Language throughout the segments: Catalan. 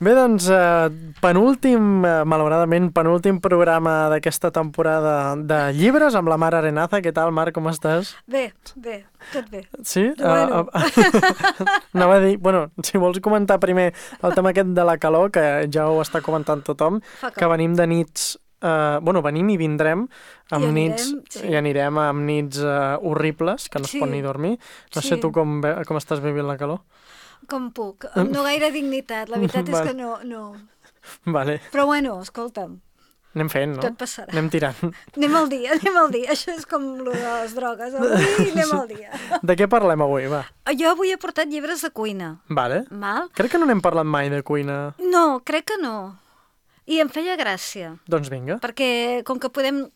Bé, doncs, malauradament, penúltim programa d'aquesta temporada de llibres amb la Mar Arenaza. Què tal, Mar, com estàs? Bé, tot bé. Sí? Bueno. Anava a dir, bueno, si vols comentar primer el tema aquest de la calor, que ja ho està comentant tothom, que venim de nits... venim i vindrem amb nits, i anirem amb nits horribles, que no es pot ni dormir. No sé tu com estàs vivint la calor. Com puc. No gaire dignitat, la veritat és que no. Vale. Però bueno, escolta'm. Anem fent, no? Tot passarà. Anem tirant. Anem al dia. Això és com lo de les drogues. Avui anem al dia. De què parlem avui, va? Jo avui he portat llibres de cuina. Vale. Val? Crec que no n'hem parlat mai de cuina. No, crec que no. I em feia gràcia. Doncs vinga. Perquè com que podem...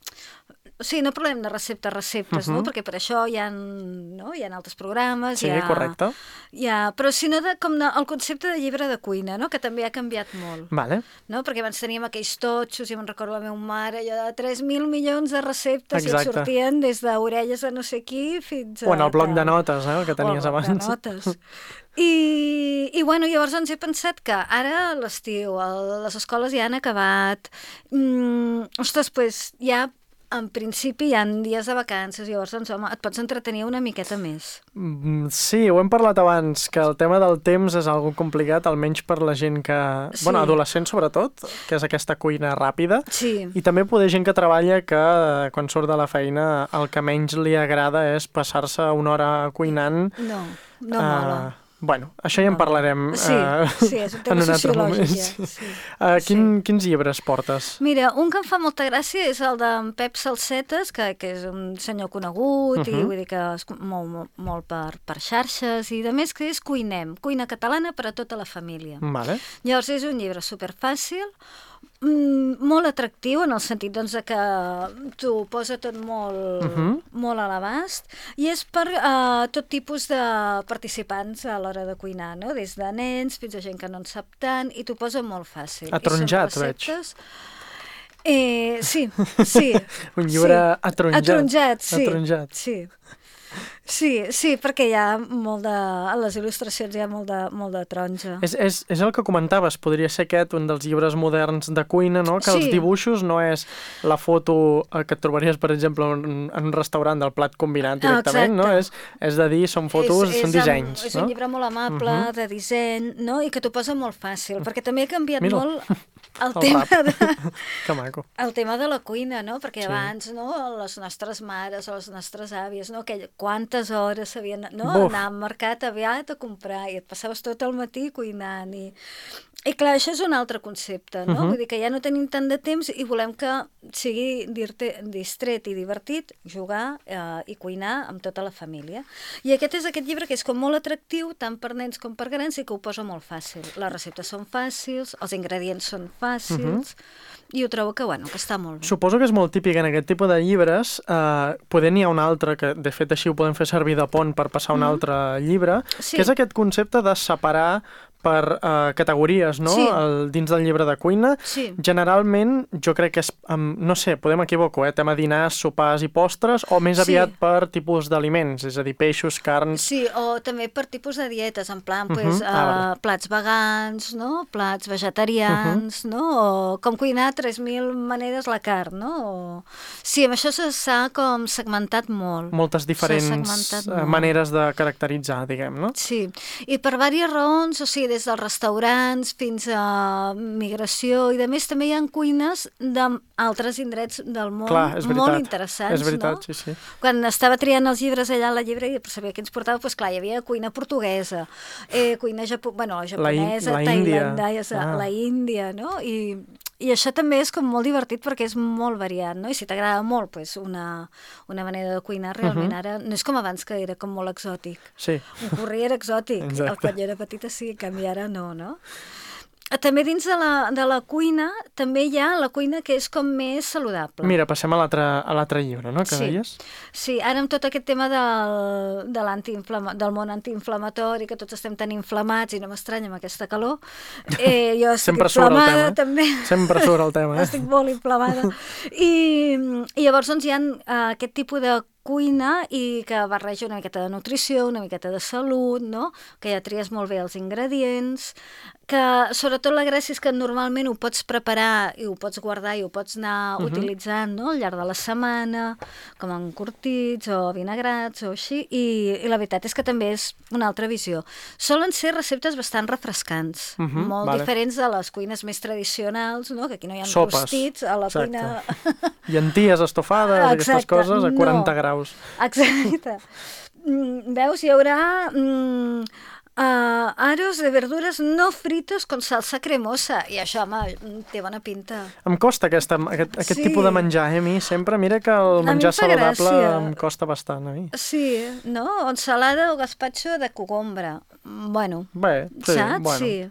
O sigui, no parlem de receptes, no? Perquè per això hi ha altres programes. Sí, correcte. Però sinó el concepte de llibre de cuina, no? Que també ha canviat molt. Vale. No? Perquè abans teníem aquells totxos, i me'n recordo la meva mare, allò de 3.000 milions de receptes. Exacte. I et sortien des d'orelles de no sé qui fins a... O en el bloc de notes, el que tenies abans. O el bloc de notes. I bueno, llavors he pensat que ara a l'estiu les escoles ja han acabat. Ostres, doncs ja... En principi hi ha dies de vacances, llavors doncs, home, et pots entretenir una miqueta més. Sí, ho hem parlat abans, que el tema del temps és algo complicat, almenys per la gent que... Sí. Bueno, adolescents sobretot, que és aquesta cuina ràpida. Sí. I també poder gent que treballa que quan surt de la feina el que menys li agrada és passar-se una hora cuinant. No mola. Bueno, això ja en parlarem sí, és un tema sociològic. Sí. Quins llibres portes? Mira, un que em fa molta gràcia és el d'en Pep Salsetes, que és un senyor conegut i vull dir que es mou molt per xarxes i de més que és Cuinem, cuina catalana per a tota la família. Vale. Llavors és un llibre superfàcil, molt atractiu en el sentit doncs, que t'ho posa tot molt a l'abast i és per tot tipus de participants a l'hora de cuinar, no? Des de nens fins a gent que no en sap tant i t'ho posa molt fàcil. Atronjat, veig. Sí. Un llibre atronjat. Atronjat, sí. Sí, perquè hi ha a les il·lustracions hi ha molt de taronja. És el que comentaves, podria ser aquest un dels llibres moderns de cuina, no? Que els dibuixos no és la foto que et trobaries, per exemple, en un restaurant del plat combinat directament, no? És de dir, són fotos, són dissenys. És un llibre molt amable, de disseny, no? I que t'ho posa molt fàcil, perquè també ha canviat molt el tema de la cuina, no? Perquè abans, no? Les nostres mares o les nostres àvies, no? Quantes hores s'havien anar al mercat aviat a comprar i et passaves tot el matí cuinant i clar, això és un altre concepte, no? Vull dir que ja no tenim tant de temps i volem que sigui distret i divertit jugar i cuinar amb tota la família. I aquest llibre que és com molt atractiu tant per nens com per grans i que ho posa molt fàcil. Les receptes són fàcils, els ingredients són fàcils i ho trobo que està molt bé. Suposo que és molt típic en aquest tipus de llibres. Poder n'hi ha un altre, que de fet així ho podem fer servir de pont per passar a un altre llibre, que és aquest concepte de separar per categories, no? Sí. Dins del llibre de cuina. Sí. Generalment, jo crec que és, no sé, podem equivocar, tema dinars, sopars i postres, o més aviat per tipus d'aliments, és a dir, peixos, carns... Sí, o també per tipus de dietes, en plan, plats vegans, no? Plats vegetarians, no? O com cuinar 3.000 maneres la carn, no? Sí, amb això s'ha com segmentat molt. Moltes diferents maneres de caracteritzar, diguem, no? Sí, i per diverses raons, o sigui, des dels restaurants fins a migració i de més també hi ha cuines d'altres indrets del món. Clar, és veritat. Molt interessants, és veritat, no? Sí. Quan estava triant els llibres allà a la llibreria per saber què ens portava, doncs clar, hi havia cuina portuguesa, cuina japonesa, tailandesa, la Índia, no? I això també és com molt divertit perquè és molt variat, no? I si t'agrada molt doncs una manera de cuinar realment ara no és com abans que era com molt exòtic. Sí. Un curri era exòtic, quan jo era petita sí, en canvi ara no? També dins de la cuina també hi ha la cuina que és com més saludable. Mira, passem a l'altre llibre, no?, que deies? Sí, ara amb tot aquest tema del món antiinflamatori, que tots estem tan inflamats i no m'estranya amb aquesta calor, jo estic inflamada també. Sempre surt el tema. Estic molt inflamada. I llavors doncs hi ha aquest tipus de cuina i que barreja una miqueta de nutrició, una miqueta de salut, no? Que ja tries molt bé els ingredients, que sobretot la gràcia és que normalment ho pots preparar i ho pots guardar i ho pots anar utilitzant, no? Al llarg de la setmana, com encurtits o vinagrats o així, i la veritat és que també és una altra visió. Solen ser receptes bastant refrescants, molt diferents de les cuines més tradicionals, no? Que aquí no hi ha rostits a la cuina... Llenties estofades, aquestes coses, a 40 graus. Exacte. Veus, hi haurà... aros de verdures no fritos con salsa cremosa. I això, home, té bona pinta. Em costa aquest tipus de menjar, a mi sempre. Mira que el menjar saludable em costa bastant, a mi. Sí, no? O ensalada o gazpacho de cogombre. Bueno, bé, sí, saps? Bueno, sí.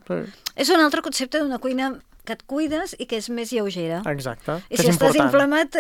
És un altre concepte d'una cuina que et cuides i que és més lleugera. Exacte. I si estàs inflamat,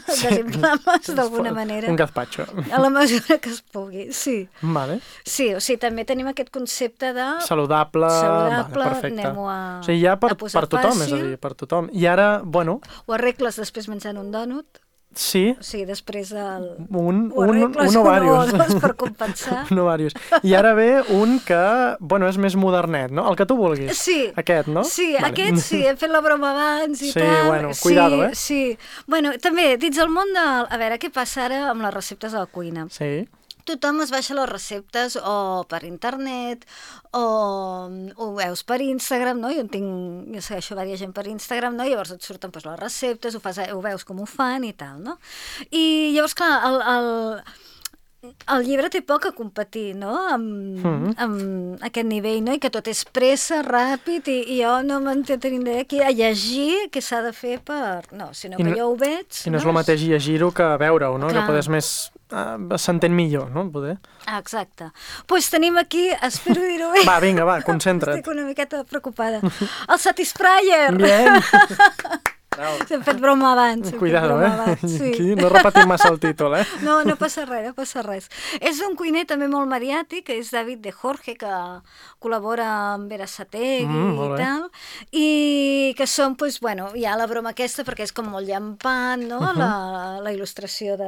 desinflames d'alguna manera. Un gazpacho. A la mesura que es pugui, sí. Vale. Sí, o sigui, també tenim aquest concepte de... Saludable, vale, perfecte. Anem-ho a... O sigui, ja per tothom, és a dir, per tothom. I ara, bueno... Ho arregles després menjant un dònut. Sí. O sigui, després el... Un o varios. Un o dos per compensar. Un o varios. I ara ve un que, bueno, és més modernet, no? El que tu vulguis. Sí. Aquest, no? Sí, vale. Aquest sí, hem fet la broma abans i tal. Sí, bueno, cuidado, Sí. Bueno, també, dins el món del... A veure, què passa ara amb les receptes de la cuina? Sí. Tothom es baixa les receptes o per internet o ho veus per Instagram, no? Jo segueixo diversa gent per Instagram, no? Llavors et surten doncs, les receptes, ho veus com ho fan i tal, no? I llavors, clar, el llibre té poc a competir, no? Amb aquest nivell, no? I que tot és pressa, ràpid, i jo no m'entenc aquí a llegir què s'ha de fer per... No, sinó que jo ho veig... I no és el mateix llegir-ho que veure-ho, no? Clar. Que poder més... s'entén millor, no? Poder. Exacte. Doncs tenim aquí, espero dir-ho bé. Va, vinga, va, concentra't. Estic una miqueta preocupada. El Satisfyer! Bien! Hem fet broma abans. Cuidado, sí. Aquí no repetim massa el títol, No passa res, no passa res. És un cuiner també molt mediàtic, que és David de Jorge, que col·labora amb Berasategui i tal, i que són, doncs, bueno, hi ha la broma aquesta, perquè és com molt llampant, no?, la il·lustració de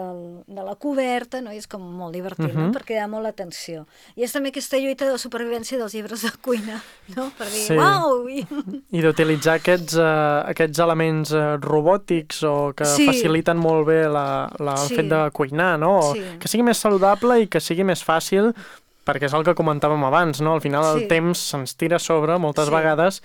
la coberta, no?, i és com molt divertit, no?, perquè hi ha molt atenció. I és també aquesta lluita de supervivència dels llibres de cuina, no?, per dir, uau! I d'utilitzar aquests elements robòtics o que faciliten molt bé el fet de cuinar, no? Que sigui més saludable i que sigui més fàcil, perquè és el que comentàvem abans, no? Al final el temps se'ns tira a sobre moltes vegades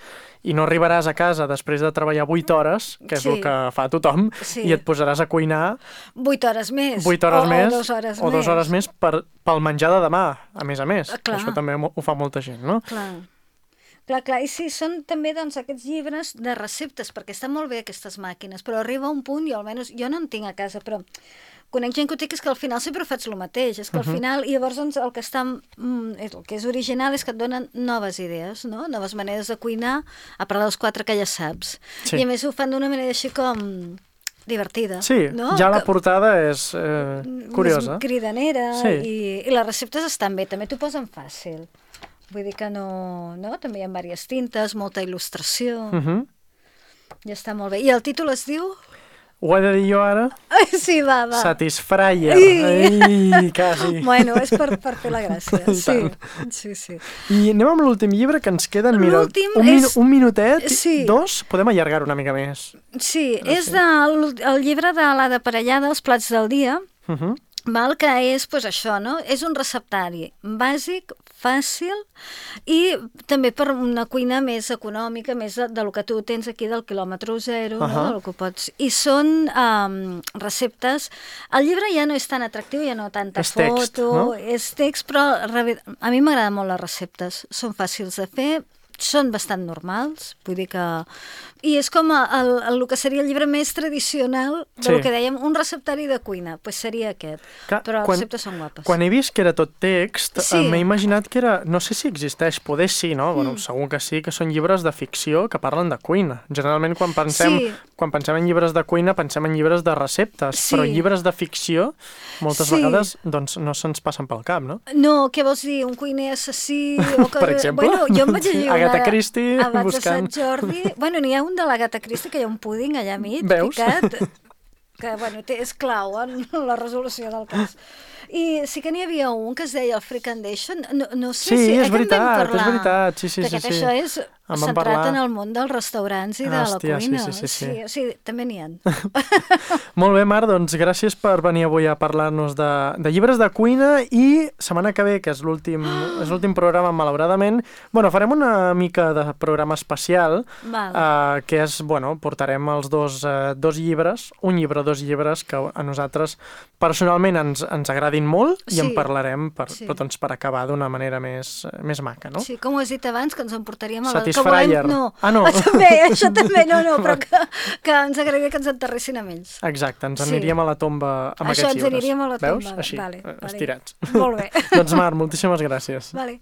i no arribaràs a casa després de treballar 8 hores, que és el que fa tothom, i et posaràs a cuinar 8 hores més. 8 hores més. O 2 hores més. O 2 hores més pel menjar de demà, a més. Això també ho fa molta gent, no? Clar, i sí, són també doncs, aquests llibres de receptes, perquè estan molt bé aquestes màquines, però arriba un punt, i almenys jo no en tinc a casa, però conec gent que ho té, que és que al final sempre faig el mateix, és que al final, i llavors doncs, el que és original és que et donen noves idees, no? Noves maneres de cuinar, a part dels 4 que ja saps. I a més ho fan d'una manera així com... divertida. Sí, no? Ja la portada és curiosa. Més cridanera, i les receptes estan bé, també t'ho posen fàcil. Vull dir que no... També hi ha diverses tintes, molta il·lustració. Ja està molt bé. I el títol es diu... Ho he de dir jo ara? Sí, va. Satisfyer. Ai, quasi. Bueno, és per fer la gràcia. Sí. I anem amb l'últim llibre, que ens queden, mira, un minutet, 2, podem allargar una mica més. Sí, és el llibre de l'Ada Parellada, Els plats del dia, que és, doncs això, no? És un receptari bàsic, fàcil, i també per una cuina més econòmica, més del que tu tens aquí del quilòmetre zero, no? El que pots... I són receptes... El llibre ja no és tan atractiu, ja no tanta foto, és text, però a mi m'agraden molt les receptes. Són fàcils de fer, són bastant normals, vull dir que... I és com el que seria el llibre més tradicional del que dèiem, un receptari de cuina, doncs seria aquest. Però les receptes són guapes. Quan he vist que era tot text, m'he imaginat que era... No sé si existeix, poder sí, no? Bueno, segur que sí, que són llibres de ficció que parlen de cuina. Generalment, quan pensem en llibres de cuina, pensem en llibres de receptes, però llibres de ficció, moltes vegades, doncs no se'ns passen pel cap, no? No, què vols dir? Un cuiner assassí? Per exemple? Bueno, jo em vaig llegir Agatha Christie, abans buscant... de Sant Jordi. Bueno, n'hi ha un de l'Agatha Christie, que hi ha un púding allà mig, veus? picat. que bueno, és clau en la resolució del cas. I sí que n'hi havia un que es deia el Freakandation, no sé sí, si... és veritat, sí. Perquè això és centrat en el món dels restaurants i de la cuina. Sí, també n'hi ha. Molt bé, Mar, doncs gràcies per venir avui a parlar-nos de llibres de cuina i setmana que ve, que és l'últim programa, malauradament, bueno, farem una mica de programa especial, que és, bueno, portarem els dos llibres, un llibre o dos llibres que a nosaltres personalment ens agradin molt i en parlarem per acabar d'una manera més maca, no? Sí, com ho has dit abans, que ens en portaríem a la... Satisfyer. No. No. Això també, però que ens agradaria que ens enterressin amb ells. Exacte, ens aniríem a la tomba amb aquests llibres. Això, ens aniríem a la tomba. Veus? Així, estirats. Molt bé. Doncs Mar, moltíssimes gràcies. Vale.